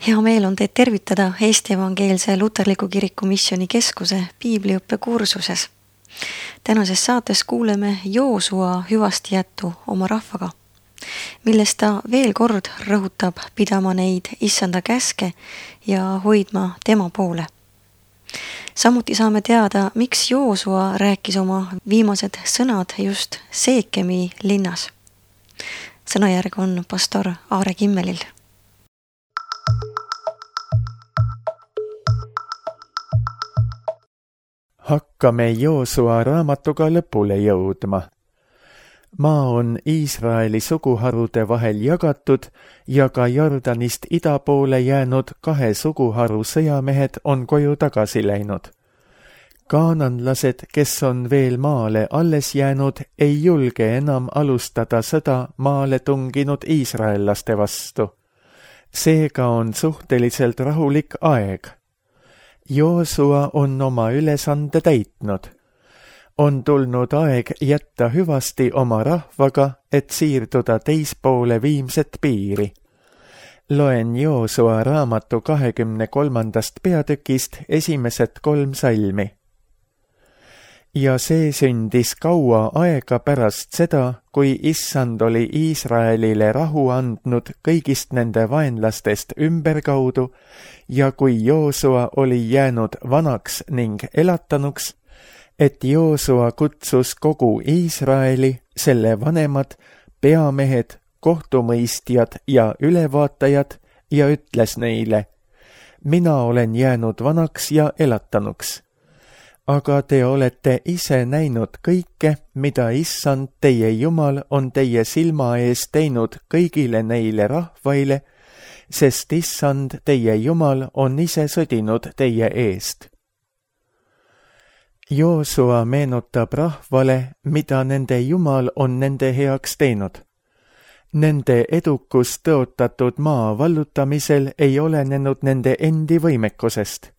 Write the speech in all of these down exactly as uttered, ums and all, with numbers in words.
Hea meel on teid tervitada Eesti Evangeelse Luterliku Kiriku Missiooni Keskuse piibliõppe kursuses. Tänases saates kuuleme Joosua hüvastijättu oma rahvaga, millest ta veel kord rõhutab pidama neid issanda käske ja hoidma tema poole. Samuti saame teada, miks Joosua rääkis oma viimased sõnad just Seekemi linnas. Sõnajärg on pastor Aare Kimmelil. Hakkame Joosua raamatuga lõpule jõudma. Maa on Iisraeli suguharude vahel jagatud ja ka Jordanist ida poole jäänud kahe suguharu sõjamehed on koju tagasi läinud. Kaananlased, kes on veel maale alles jäänud, ei julge enam alustada sõda maale tunginud iisraellaste vastu. Seega on suhteliselt rahulik aeg. Joosua on oma ülesande täitnud. On tulnud aeg jätta hüvasti oma rahvaga, et siirduda teispoole viimset piiri. Loen Joosua raamatu kahekümne kolmandast peatükist esimesed kolm salmi. Ja see sündis kaua aega pärast seda, kui issand oli Iisraelile rahu andnud kõigist nende vaenlastest ümberkaudu ja kui Joosua oli jäänud vanaks ning elatanuks, et Joosua kutsus kogu Iisraeli, selle vanemad, peamehed, kohtumõistjad ja ülevaatajad ja ütles neile: mina olen jäänud vanaks ja elatanuks. Aga te olete ise näinud kõike, mida issand teie Jumal on teie silma ees teinud kõigile neile rahvaile, sest issand teie Jumal on ise sõdinud teie eest. Joosua meenutab rahvale, mida nende Jumal on nende heaks teinud. Nende edukus tõotatud maa vallutamisel ei olenenud nende endi võimekusest.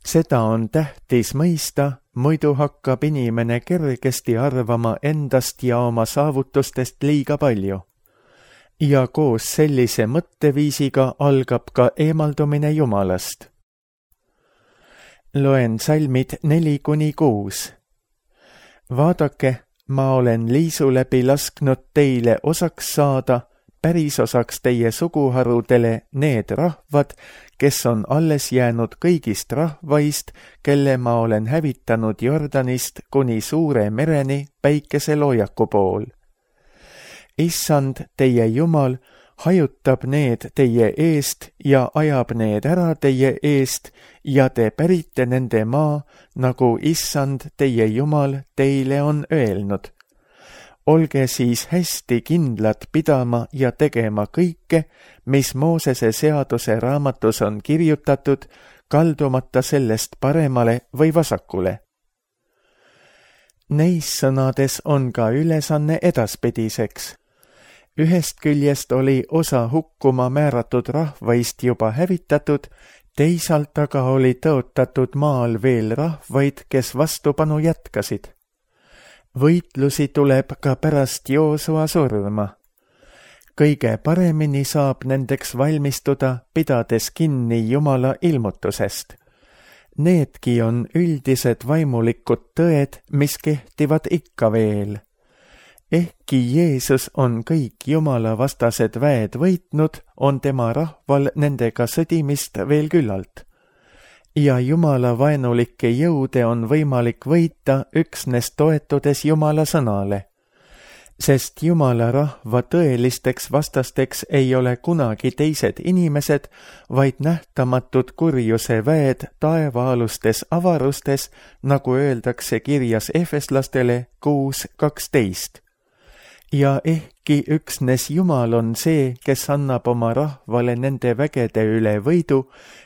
Seda on tähtis mõista, muidu hakkab inimene kergesti arvama endast ja oma saavutustest liiga palju. Ja koos sellise mõtteviisiga algab ka eemaldumine Jumalast. Loen salmid neli kuni kuus. Vaadake, ma olen liisu läbi lasknud teile osaks saada, päris osaks teie suguharudele need rahvad, kes on alles jäänud kõigist rahvaist, kelle ma olen hävitanud Jordanist kuni suure mereni päikeseloojaku pool. Issand, teie Jumal, hajutab need teie eest ja ajab need ära teie eest ja te pärite nende maa, nagu issand, teie Jumal, teile on öelnud. Olge siis hästi kindlad pidama ja tegema kõike, mis Moosese seaduse raamatus on kirjutatud, kaldumata sellest paremale või vasakule. Neis sõnades on ka ülesanne edaspidiseks. Ühest küljest oli osa hukkuma määratud rahvaist juba hävitatud, teisalt aga oli tõotatud maal veel rahvaid, kes vastupanu jätkasid. Võitlusi tuleb ka pärast Joosua surma. Kõige paremini saab nendeks valmistuda, pidades kinni Jumala ilmutusest. Needki on üldised vaimulikud tõed, mis kehtivad ikka veel. Ehkki Jeesus on kõik Jumala vastased väed võitnud, on tema rahval nendega sõdimist veel küllalt. Ja Jumala vaenulikke jõude on võimalik võita üksnes toetudes Jumala sõnale. Sest Jumala rahva tõelisteks vastasteks ei ole kunagi teised inimesed, vaid nähtamatud kurjuse väed taevaalustes avarustes, nagu öeldakse kirjas Efeslastele kuus kaksteist. Ja ehkki üksnes Jumal on see, kes annab oma rahvale nende vägede üle võidu,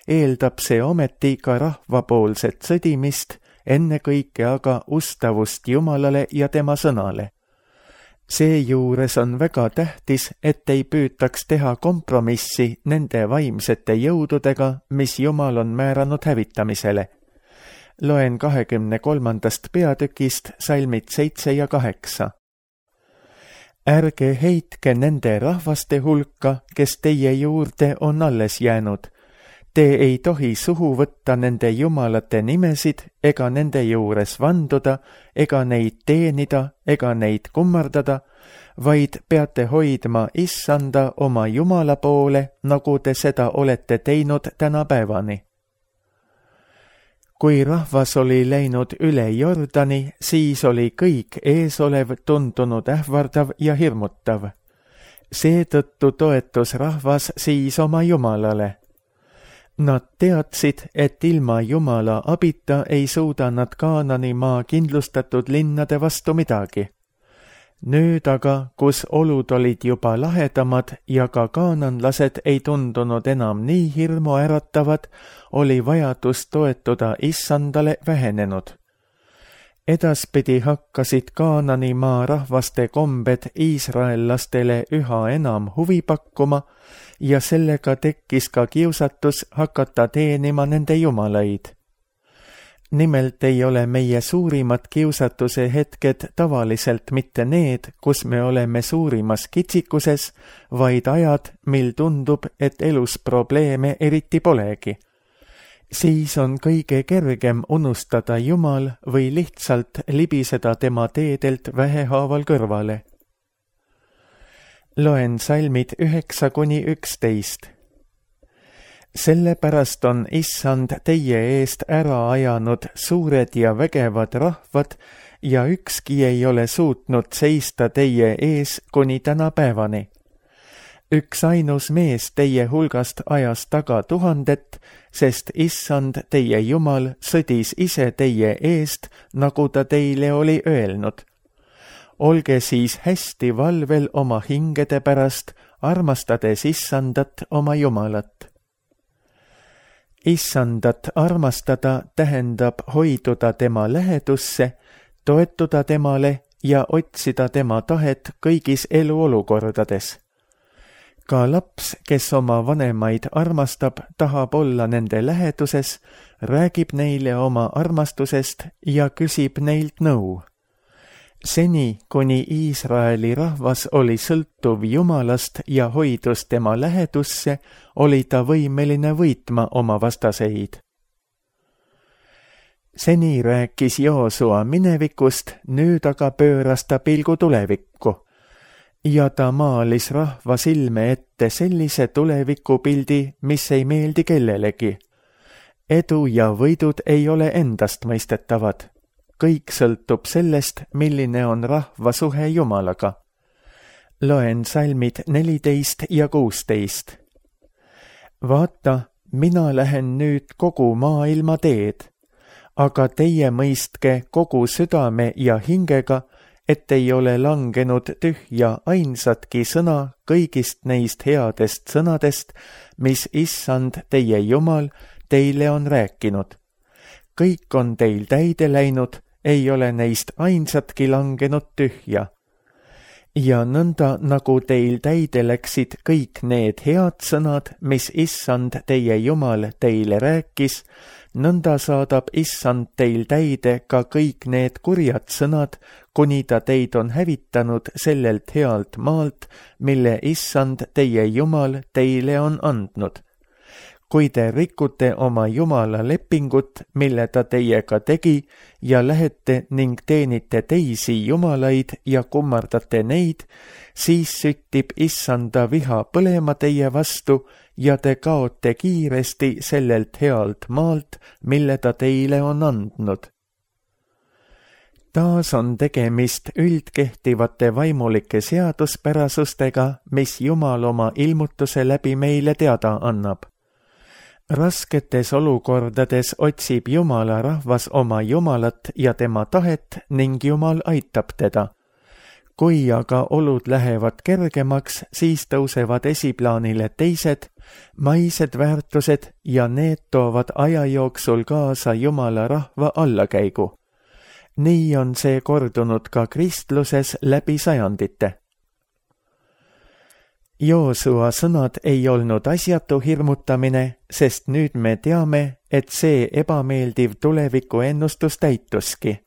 eeldab see ometi ka rahvapoolset sõdimist, ennekõike aga ustavust Jumalale ja tema sõnale. Seejuures on väga tähtis, et ei püütaks teha kompromissi nende vaimsete jõududega, mis Jumal on määranud hävitamisele. Loen kahekümne kolmandast peatükist salmid seitse ja kaheksa. ärge heitke nende rahvaste hulka, kes teie juurde on alles jäänud. Te ei tohi suhu võtta nende jumalate nimesid ega nende juures vanduda, ega neid teenida, ega neid kummardada, vaid peate hoidma issanda oma Jumala poole, nagu te seda olete teinud tänapäevani. Kui rahvas oli läinud üle Jordani, siis oli kõik eesolev tundunud ähvardav ja hirmutav. Seetõttu toetus rahvas siis oma Jumalale. Nad teadsid, et ilma Jumala abita ei suuda nad Kaanani maa kindlustatud linnade vastu midagi. Nüüd aga, kus olud olid juba lahedamad ja ka kaananlased ei tundunud enam nii hirmu äratavad, oli vajadus toetuda issandale vähenenud. Edaspidi hakkasid Kaanani maa rahvaste kombed iisraellastele üha enam huvi pakkuma ja sellega tekkis ka kiusatus hakata teenima nende jumalaid. Nimelt ei ole meie suurimad kiusatuse hetked tavaliselt mitte need, kus me oleme suurimas kitsikuses, vaid ajad, mil tundub, et elus probleeme eriti polegi. Siis on kõige kergem unustada Jumal või lihtsalt libiseda tema teedelt vähehaaval kõrvale. Loen salmid üheksa kuni üksteist. Sellepärast on issand teie eest ära ajanud suured ja vägevad rahvad ja ükski ei ole suutnud seista teie ees kuni tänapäevani. Üks ainus mees teie hulgast ajas taga tuhandet, sest issand teie Jumal sõdis ise teie eest, nagu ta teile oli öelnud. Olge siis hästi valvel oma hingede pärast, armastades issandat oma Jumalat. Issandat armastada tähendab hoiduda tema lähedusse, toetuda temale ja otsida tema tahet kõigis eluolukordades. Ka laps, kes oma vanemaid armastab, tahab olla nende läheduses, räägib neile oma armastusest ja küsib neilt nõu. Seni, kuni Iisraeli rahvas oli sõltuv Jumalast ja hoidus tema lähedusse, oli ta võimeline võitma oma vastaseid. Seni rääkis Joosua minevikust, nüüd aga pööras ta pilgu tulevikku. Ja ta maalis rahva silme ette sellise tulevikupildi, mis ei meeldi kellelegi. Edu ja võidud ei ole endast mõistetavad. Kõik sõltub sellest, milline on rahva suhe Jumalaga. Loen salmid neliteist ja kuusteist. Vaata, mina lähen nüüd kogu maailma teed, aga teie mõistke kogu südame ja hingega, et ei ole langenud tühja ainsatki sõna kõigist neist headest sõnadest, mis issand teie Jumal teile on rääkinud. Kõik on teil täide läinud, ei ole neist ainsatki langenud tühja. Ja nõnda, nagu teil täide läksid kõik need head sõnad, mis issand teie Jumal teile rääkis, nõnda saadab issand teil täide ka kõik need kurjad sõnad, kuni ta teid on hävitanud sellelt healt maalt, mille issand teie Jumal teile on andnud. Kui te rikute oma Jumala lepingut, mille ta teiega tegi, ja lähete ning teenite teisi jumalaid ja kummardate neid, siis süttib issanda viha põlema teie vastu ja te kaote kiiresti sellelt healt maalt, mille ta teile on andnud. Taas on tegemist üldkehtivate vaimulike seaduspärasustega, mis Jumal oma ilmutuse läbi meile teada annab. Rasketes olukordades otsib Jumala rahvas oma Jumalat ja tema tahet ning Jumal aitab teda. Kui aga olud lähevad kergemaks, siis tõusevad esiplaanile teised, maised väärtused ja need toovad aja jooksul kaasa Jumala rahva allakäigu. Nii on see kordunud ka kristluses läbi sajandite. Joosua sõnad ei olnud asjatu hirmutamine, sest nüüd me teame, et see ebameeldiv tuleviku ennustus täituski.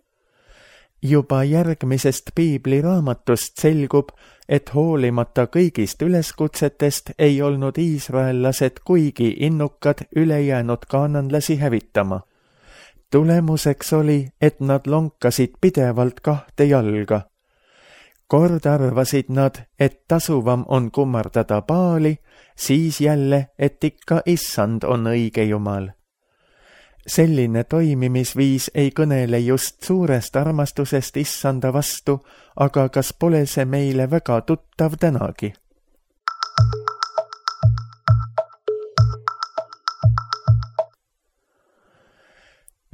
Juba järgmisest piibliraamatust selgub, et hoolimata kõigist üleskutsetest ei olnud iisraellased kuigi innukad ülejäänud kaananlasi hävitama. Tulemuseks oli, et nad lonkasid pidevalt kahte jalga. Kord arvasid nad, et tasuvam on kummardada Baali, siis jälle, et ikka issand on õige jumal. Selline toimimisviis ei kõnele just suurest armastusest issanda vastu, aga kas pole see meile väga tuttav tänagi?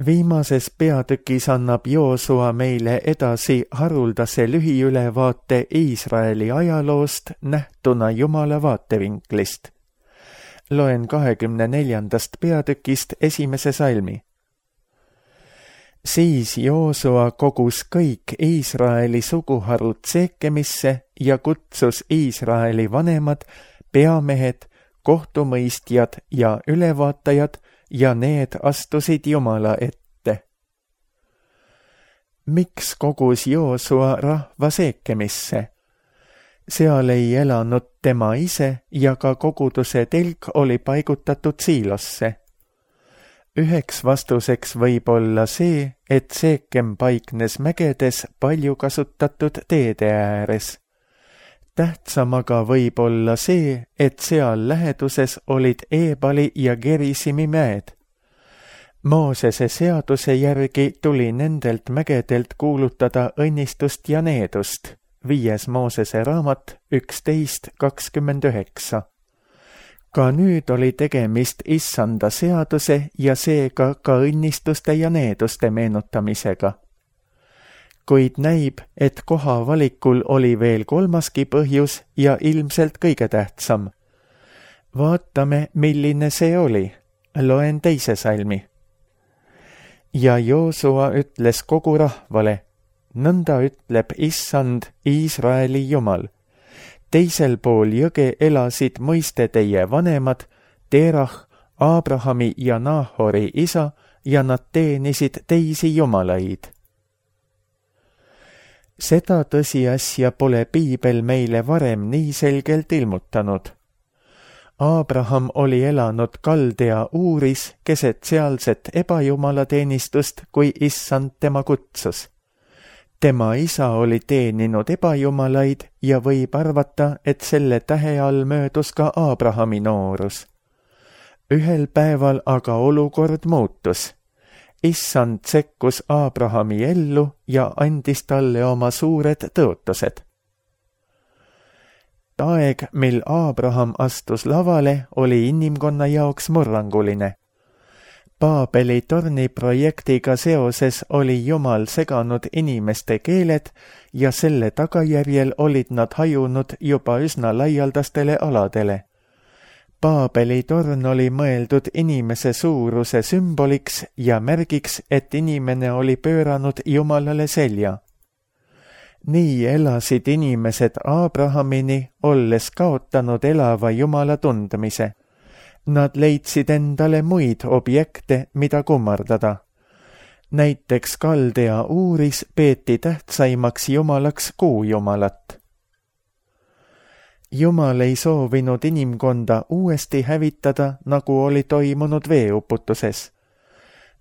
Viimases peatükis annab Joosua meile edasi haruldase lühiülevaate Iisraeli ajaloost nähtuna Jumala vaatevinklist. Loen kahekümne neljandast peatükist esimese salmi. Siis Joosua kogus kõik Iisraeli suguharud Seekemisse ja kutsus Iisraeli vanemad, peamehed, kohtumõistjad ja ülevaatajad ja need astusid Jumala ette. Miks kogus Joosua rahva Seekemisse? Seal ei elanud tema ise ja ka koguduse telk oli paigutatud Siilosse. Üheks vastuseks võib olla see, et Seekem paiknes mägedes palju kasutatud teede ääres. Tähtsam aga võib olla see, et seal läheduses olid Eebali ja Gerisimi mäed. Moosese seaduse järgi tuli nendelt mägedelt kuulutada õnnistust ja needust. Viies Moosese raamat üksteist kakskümmend üheksa. Ka nüüd oli tegemist issanda seaduse ja seega ka õnnistuste ja needuste meenutamisega. Kuid näib, et koha valikul oli veel kolmaski põhjus ja ilmselt kõige tähtsam. Vaatame, milline see oli. Loen teise salmi. Ja Joosua ütles kogu rahvale, nõnda ütleb issand Iisraeli jumal. Teisel pool jõge elasid mõiste teie vanemad, Terah, Abrahami ja Nahori isa, ja nad teenisid teisi jumalaid. Seda tõsiasja pole piibel meile varem nii selgelt ilmutanud. Abraham oli elanud Kaldea Uuris keset sealset ebajumalateenistust, kui issand tema kutsus. Tema isa oli teeninud ebajumalaid ja võib arvata, et selle tähe all möödus ka Abrahami noorus. Ühel päeval aga olukord muutus. Issand sekkus Abrahami ellu ja andis talle oma suured tõotused. Aeg, mil Abraham astus lavale, oli inimkonna jaoks murranguline. Paabeli torni projektiga seoses oli Jumal seganud inimeste keeled ja selle tagajärjel olid nad hajunud juba üsna laialdastele aladele. Paabeli torn oli mõeldud inimese suuruse sümboliks ja märgiks, et inimene oli pööranud Jumalale selja. Nii elasid inimesed Abrahamini, olles kaotanud elava Jumala tundmise. Nad leidsid endale muid objekte, mida kummardada. Näiteks Kaldea Uuris peeti tähtsaimaks jumalaks kuujumalat. Jumal ei soovinud inimkonda uuesti hävitada, nagu oli toimunud veeuputuses.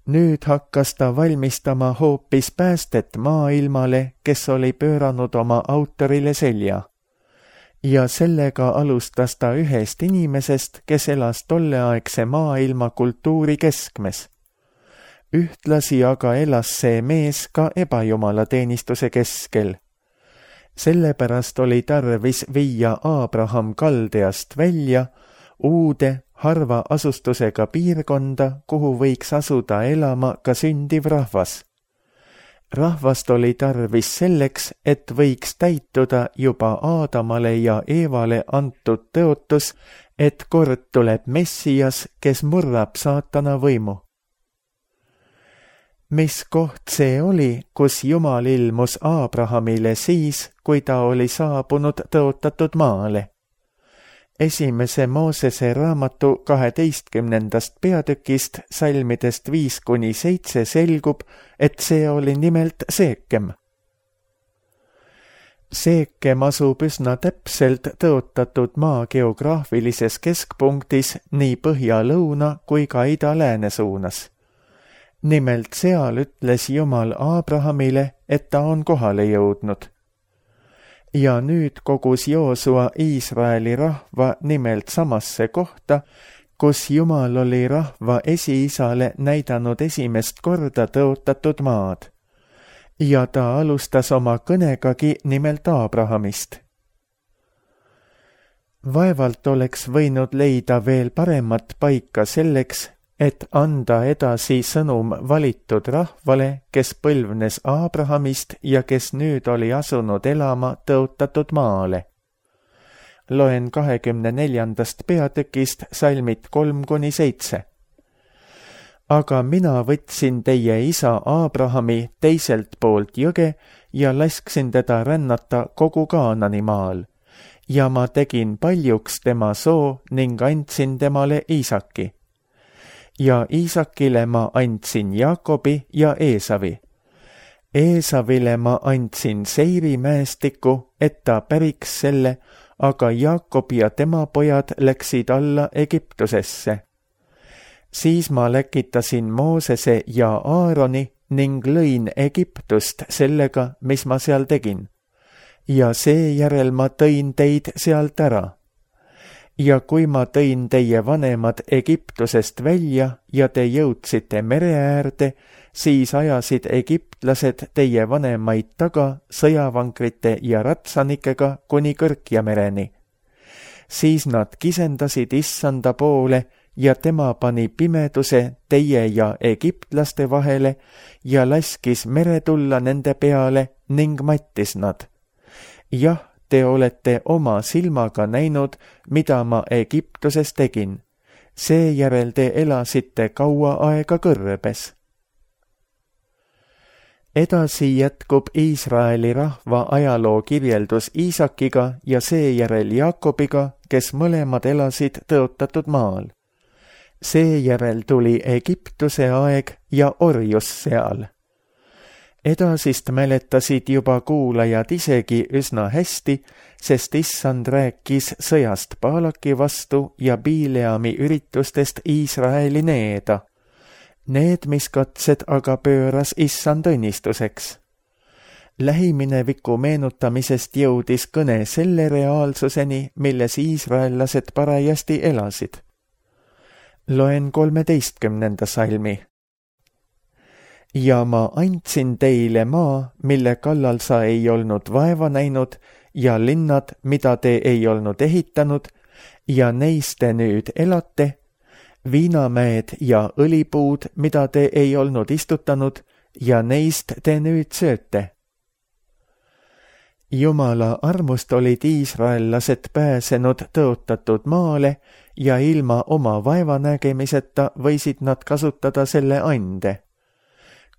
Nüüd hakkas ta valmistama hoopis päästet maailmale, kes oli pööranud oma autorile selja. Ja sellega alustas ta ühest inimesest, kes elas tolleaegse maailma kultuuri keskmes. Ühtlasi aga elas see mees ka ebajumalateenistuse keskel. Sellepärast oli tarvis viia Abraham Kaldeast välja, uude, harva asustusega piirkonda, kuhu võiks asuda elama ka sündiv rahvas. Rahvast oli tarvis selleks, et võiks täituda juba Aadamale ja Eevale antud tõotus, et kord tuleb Messias, kes murrab saatana võimu. Mis koht see oli, kus Jumal ilmus Abrahamile siis, kui ta oli saabunud tõotatud maale? Esimese Moosese raamatu kaheteistkümnendast peatükist salmidest viis kuni seitse selgub, et see oli nimelt Seekem. Seekem asub üsna täpselt tõotatud maa geograafilises keskpunktis nii põhja-lõuna kui ka ida-lääne suunas. Nimelt seal ütles Jumal Abrahamile, et ta on kohale jõudnud. Ja nüüd kogus Joosua Iisraeli rahva nimelt samasse kohta, kus Jumal oli rahva esiisale näidanud esimest korda tõotatud maad. Ja ta alustas oma kõnegagi nimelt Abrahamist. Vaevalt oleks võinud leida veel paremat paika selleks, et anda edasi sõnum valitud rahvale, kes põlvnes Abrahamist ja kes nüüd oli asunud elama tõotatud maale. Loen kahekümne neljandast peatükist salmid kolm kuni seitse. Aga mina võtsin teie isa Abrahami teiselt poolt jõge ja lasksin teda rännata kogu Kaanani maal. Ja ma tegin paljuks tema soo ning andsin temale Iisaki. Ja Iisakile ma andsin Jaakobi ja Eesavi. Eesavile ma andsin Seiri mäestiku, et ta päriks selle, aga Jaakob ja tema pojad läksid alla Egiptusesse. Siis ma läkitasin Moosese ja Aaroni ning lõin Egiptust sellega, mis ma seal tegin. Ja seejärel ma tõin teid sealt ära. Ja kui ma tõin teie vanemad Egiptusest välja ja te jõudsite mere äärde, siis ajasid egiptlased teie vanemaid taga sõjavankrite ja ratsanikega kuni Kõrkjamereni. Siis nad kisendasid issanda poole ja tema pani pimeduse teie ja egiptlaste vahele ja laskis mere tulla nende peale ning mattis nad. Jah, te olete oma silmaga näinud, mida ma Egiptuses tegin. Seejärel te elasite kaua aega kõrbes. Edasi jätkub Iisraeli rahva ajaloo kirjeldus Iisakiga ja seejärel Jaakobiga, kes mõlemad elasid tõotatud maal. Seejärel tuli Egiptuse aeg ja orjus seal. Edasist mäletasid juba kuulajad isegi üsna hästi, sest issand rääkis sõjast Baalaki vastu ja Bileami üritustest Iisraeli needa. Need, mis katsed aga pööras issand õnnistuseks. Lähimineviku meenutamisest jõudis kõne selle reaalsuseni, milles iisraellased parajasti elasid. Loen kolmeteistkümnenda salmi. Ja ma andsin teile maa, mille kallal sa ei olnud vaeva näinud, ja linnad, mida te ei olnud ehitanud, ja neis te nüüd elate, viinamäed ja õlipuud, mida te ei olnud istutanud, ja neist te nüüd sööte. Jumala armust olid iisraellased pääsenud tõotatud maale ja ilma oma vaevanägemiseta võisid nad kasutada selle ande.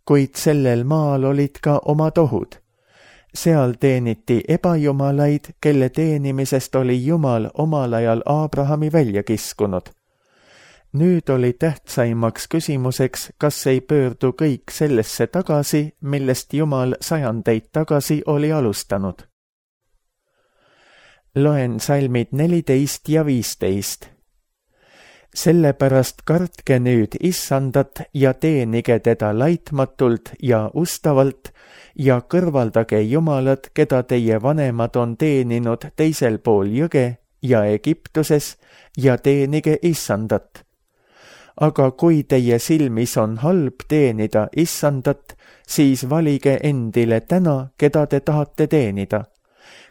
Kuid sellel maal olid ka omad ohud. Seal teeniti ebajumalaid, kelle teenimisest oli Jumal omal ajal Abrahami välja kiskunud. Nüüd oli tähtsaimaks küsimuseks, kas ei pöördu kõik sellesse tagasi, millest Jumal sajandeid tagasi oli alustanud. Loen salmid neliteist ja viisteist. Sellepärast kartke nüüd issandat ja teenige teda laitmatult ja ustavalt ja kõrvaldage jumalad, keda teie vanemad on teeninud teisel pool jõge ja Egiptuses ja teenige issandat. Aga kui teie silmis on halb teenida issandat, siis valige endile täna, keda te tahate teenida.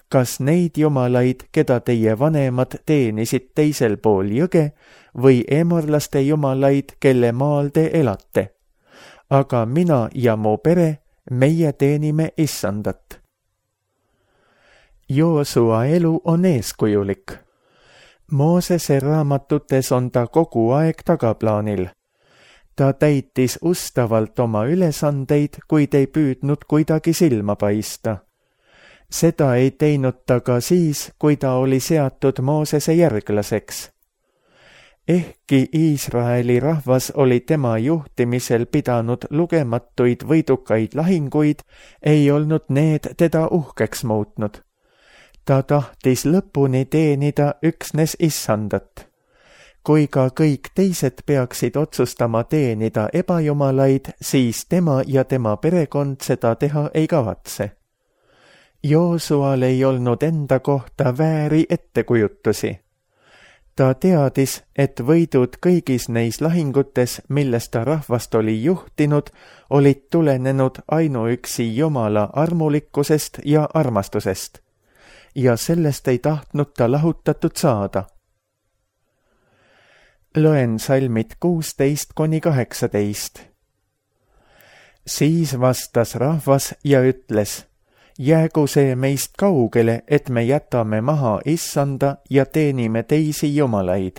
Kas neid jumalaid, keda teie vanemad teenisid teisel pool jõge, või emorlaste jumalaid, kelle maal te elate? Aga mina ja mu pere, meie teenime issandat. Joosua elu on eeskujulik. Moosese raamatutes on ta kogu aeg tagaplaanil. Ta täitis ustavalt oma ülesandeid, kuid ei püüdnud kuidagi silma paista. Seda ei teinud ta ka siis, kui ta oli seatud Moosese järglaseks. Ehkki Iisraeli rahvas oli tema juhtimisel pidanud lugematuid võidukaid lahinguid, ei olnud need teda uhkeks muutnud. Ta tahtis lõpuni teenida üksnes issandat. Kui ka kõik teised peaksid otsustama teenida ebajumalaid, siis tema ja tema perekond seda teha ei kavatse. Joosual ei olnud enda kohta vääri ettekujutusi. Ta teadis, et võidud kõigis neis lahingutes, milles ta rahvast oli juhtinud, olid tulenenud ainuüksi Jumala armulikkusest ja armastusest. Ja sellest ei tahtnud ta lahutatud saada. Loen salmid kuusteist kuni kaheksateist. Siis vastas rahvas ja ütles: jäägu see meist kaugele, et me jätame maha issanda ja teenime teisi jumalaid.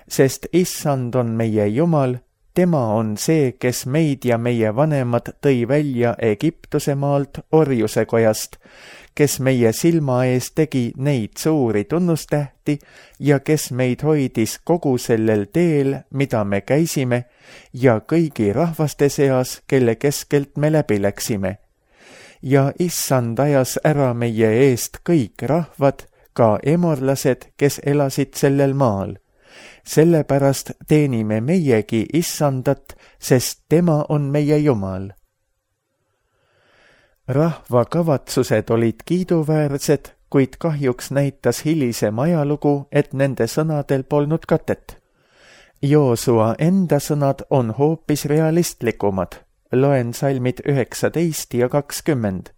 Sest issand on meie Jumal, tema on see, kes meid ja meie vanemad tõi välja Egiptuse maalt orjuse kojast, kes meie silma ees tegi neid suuri tunnustähti ja kes meid hoidis kogu sellel teel, mida me käisime, ja kõigi rahvaste seas, kelle keskelt me läbi läksime. Ja issand ajas ära meie eest kõik rahvad, ka emorlased, kes elasid sellel maal. Sellepärast teenime meiegi issandat, sest tema on meie Jumal. Rahva kavatsused olid kiiduväärsed, kuid kahjuks näitas hilisem ajalugu, et nende sõnadel polnud katet. Joosua enda sõnad on hoopis realistlikumad. Loen salmid üheksateist ja kakskümmend.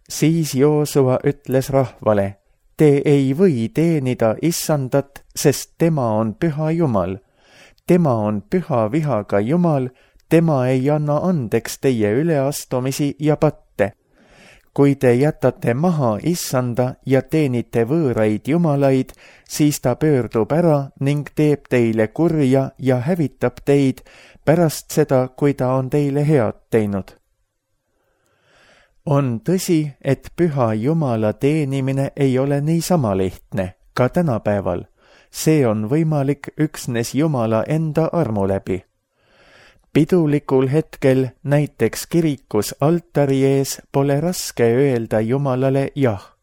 Siis Joosua ütles rahvale: te ei või teenida issandat, sest tema on püha Jumal. Tema on püha vihaga Jumal, tema ei anna andeks teie üleastumisi ja patte. Kui te jätate maha issanda ja teenite võõraid jumalaid, siis ta pöördub ära ning teeb teile kurja ja hävitab teid pärast seda, kui ta on teile head teinud. On tõsi, et püha Jumala teenimine ei ole niisama lihtne, ka tänapäeval. See on võimalik üksnes Jumala enda armu läbi. Pidulikul hetkel, näiteks kirikus altari ees, pole raske öelda Jumalale jah.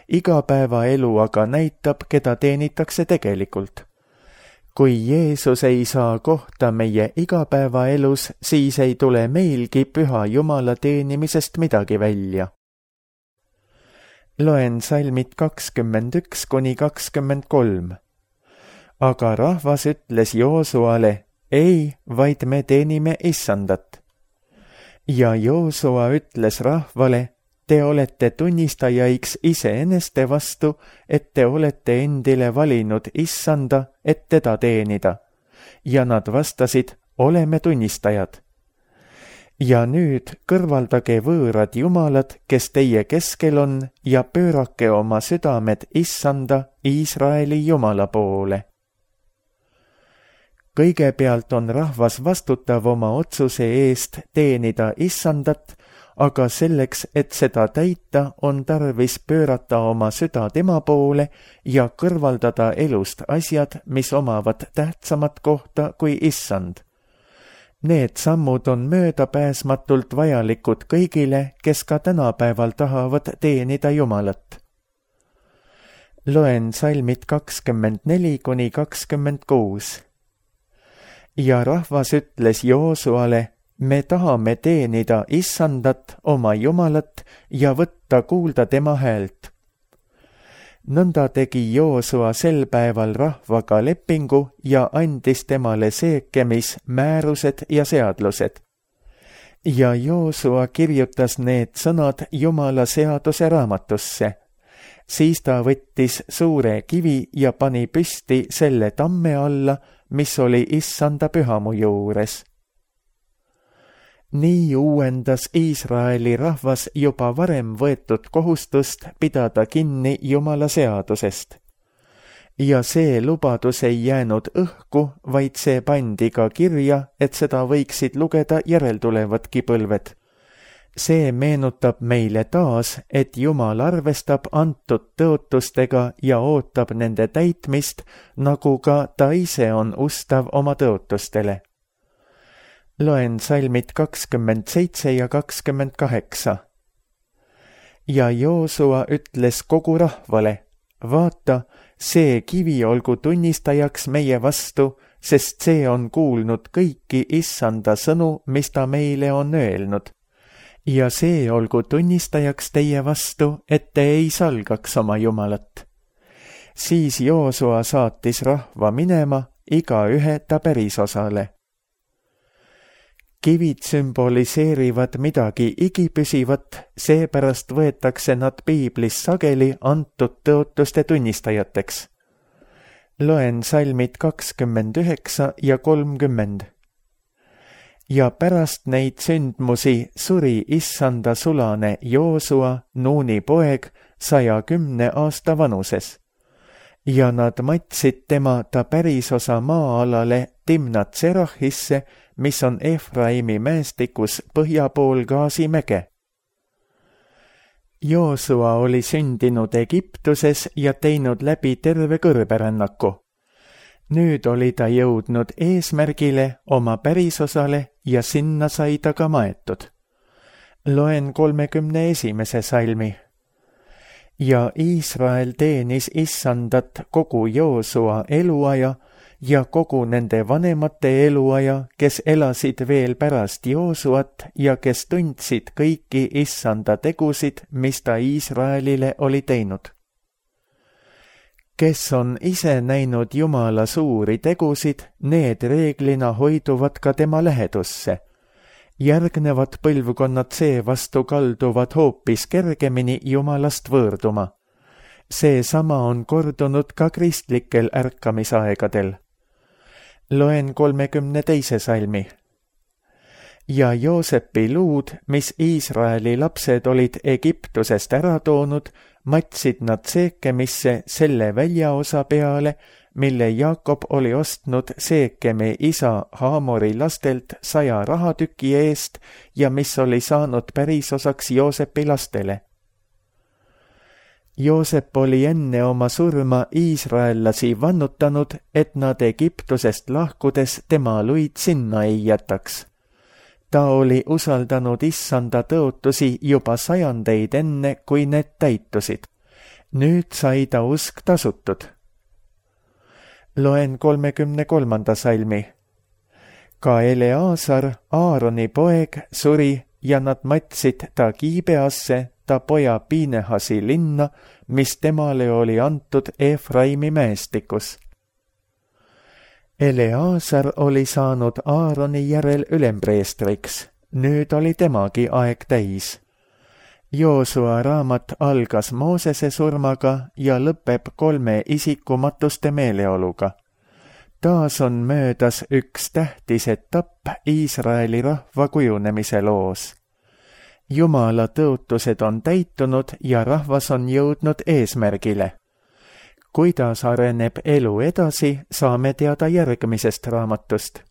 Igapäevaelu aga näitab, keda teenitakse tegelikult. Kui Jeesus ei saa kohta meie igapäevaelus, siis ei tule meilgi püha Jumala teenimisest midagi välja. Loen salmid kakskümmend üks kuni kakskümmend kolm. Aga rahvas ütles Joosuale: ei, vaid me teenime issandat. Ja Joosua ütles rahvale: te olete tunnistajaiks iseeneste vastu, et te olete endile valinud issanda, et teda teenida. Ja nad vastasid: oleme tunnistajad. Ja nüüd kõrvaldage võõrad jumalad, kes teie keskel on, ja pöörake oma südamed issanda, Iisraeli Jumala poole. Kõigepealt on rahvas vastutav oma otsuse eest teenida issandat, aga selleks, et seda täita, on tarvis pöörata oma süda tema poole ja kõrvaldada elust asjad, mis omavad tähtsamat kohta kui issand. Need sammud on möödapääsmatult vajalikud kõigile, kes ka tänapäeval tahavad teenida Jumalat. Loen salmid kakskümmend neli kuni kakskümmend kuus. Ja rahvas ütles Joosuale: me tahame teenida issandat, oma Jumalat, ja võtta kuulda tema häält. Nõnda tegi Joosua sel päeval rahvaga lepingu ja andis temale seekemis määrused ja seadlused. Ja Joosua kirjutas need sõnad Jumala seaduse raamatusse. Siis ta võttis suure kivi ja pani püsti selle tamme alla, mis oli issanda pühamu juures. Nii uuendas Iisraeli rahvas juba varem võetud kohustust pidada kinni Jumala seadusest. Ja see lubadus ei jäänud õhku, vaid see pandi ka kirja, et seda võiksid lugeda järeltulevadki põlved. See meenutab meile taas, et Jumal arvestab antud tõotustega ja ootab nende täitmist, nagu ka ta ise on ustav oma tõotustele. Loen salmid kakskümmend seitse ja kakskümmend kaheksa. ja Joosua ütles kogu rahvale, vaata, see kivi olgu tunnistajaks meie vastu, sest see on kuulnud kõiki issanda sõnu, mis ta meile on öelnud. Ja see olgu tunnistajaks teie vastu, et te ei salgaks oma Jumalat. Siis Joosua saatis rahva minema, igaühe ta pärisosale. Kivid sümboliseerivad midagi igipüsivat, seepärast võetakse nad piiblis sageli antud tõotuste tunnistajateks. Loen salmid kakskümmend üheksa ja kolmkümmend. Ja pärast neid sündmusi suri issanda sulane Joosua, Nuuni poeg, saja kümne aasta vanuses. Ja nad matsid tema ta pärisosa maa-alale Timnat Serahisse, mis on Efraimi mäestikus põhja pool Gaasimäge. Joosua oli sündinud Egiptuses ja teinud läbi terve kõrberännaku. Nüüd oli ta jõudnud eesmärgile oma pärisosale ja sinna sai ta ka maetud. Loen kolmekümne esimese salmi. Ja Iisrael teenis issandat kogu Joosua eluaja ja kogu nende vanemate eluaja, kes elasid veel pärast Joosuat ja kes tundsid kõiki issanda tegusid, mis ta Iisraelile oli teinud. Kes on ise näinud Jumala suuri tegusid, need reeglina hoiduvad ka tema lähedusse. Järgnevad põlvkonnad seevastu kalduvad hoopis kergemini Jumalast võõrduma. Seesama on kordunud ka kristlikel ärkamisaegadel. Loen kolmekümne teise salmi. Ja Joosepi luud, mis Iisraeli lapsed olid Egiptusest ära toonud, matsid nad Seekemisse selle väljaosa peale, mille Jaakob oli ostnud Seekemi isa Haamori lastelt saja rahatüki eest ja mis oli saanud pärisosaks Joosepi lastele. Joosep oli enne oma surma iisraellasi vannutanud, et nad Egiptusest lahkudes tema luid sinna ei jätaks. Ta oli usaldanud issanda tõotusi juba sajandeid enne, kui need täitusid. Nüüd sai ta usk tasutud. Loen kolmekümne kolmanda salmi. Ka Eleazar, Aaroni poeg, suri ja nad matsid ta Giibeasse, ta poja Piinehasi linna, mis temale oli antud Efraimi mäestikus. Eleazar oli saanud Aaroni järel ülempreestriks, nüüd oli temagi aeg täis. Joosua raamat algas Moosese surmaga ja lõpeb kolme isikumatuste meeleoluga. Taas on möödas üks tähtis etapp Iisraeli rahva kujunemise loos. Jumala tõotused on täitunud ja rahvas on jõudnud eesmärgile. Kuidas areneb elu edasi, saame teada järgmisest raamatust.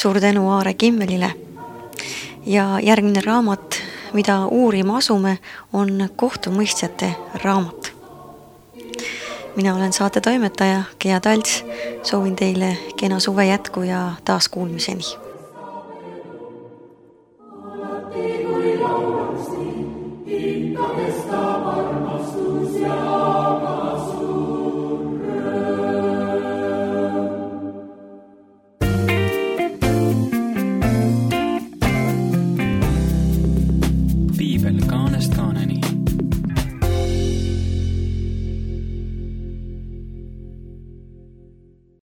Suur tänu Aare Kimmelile. Ja järgmine raamat, mida uurima asume, on kohtumõistjate raamat. Mina olen saate toimetaja Gea Talts. Soovin teile kena suve jätku ja taas kuulmiseni.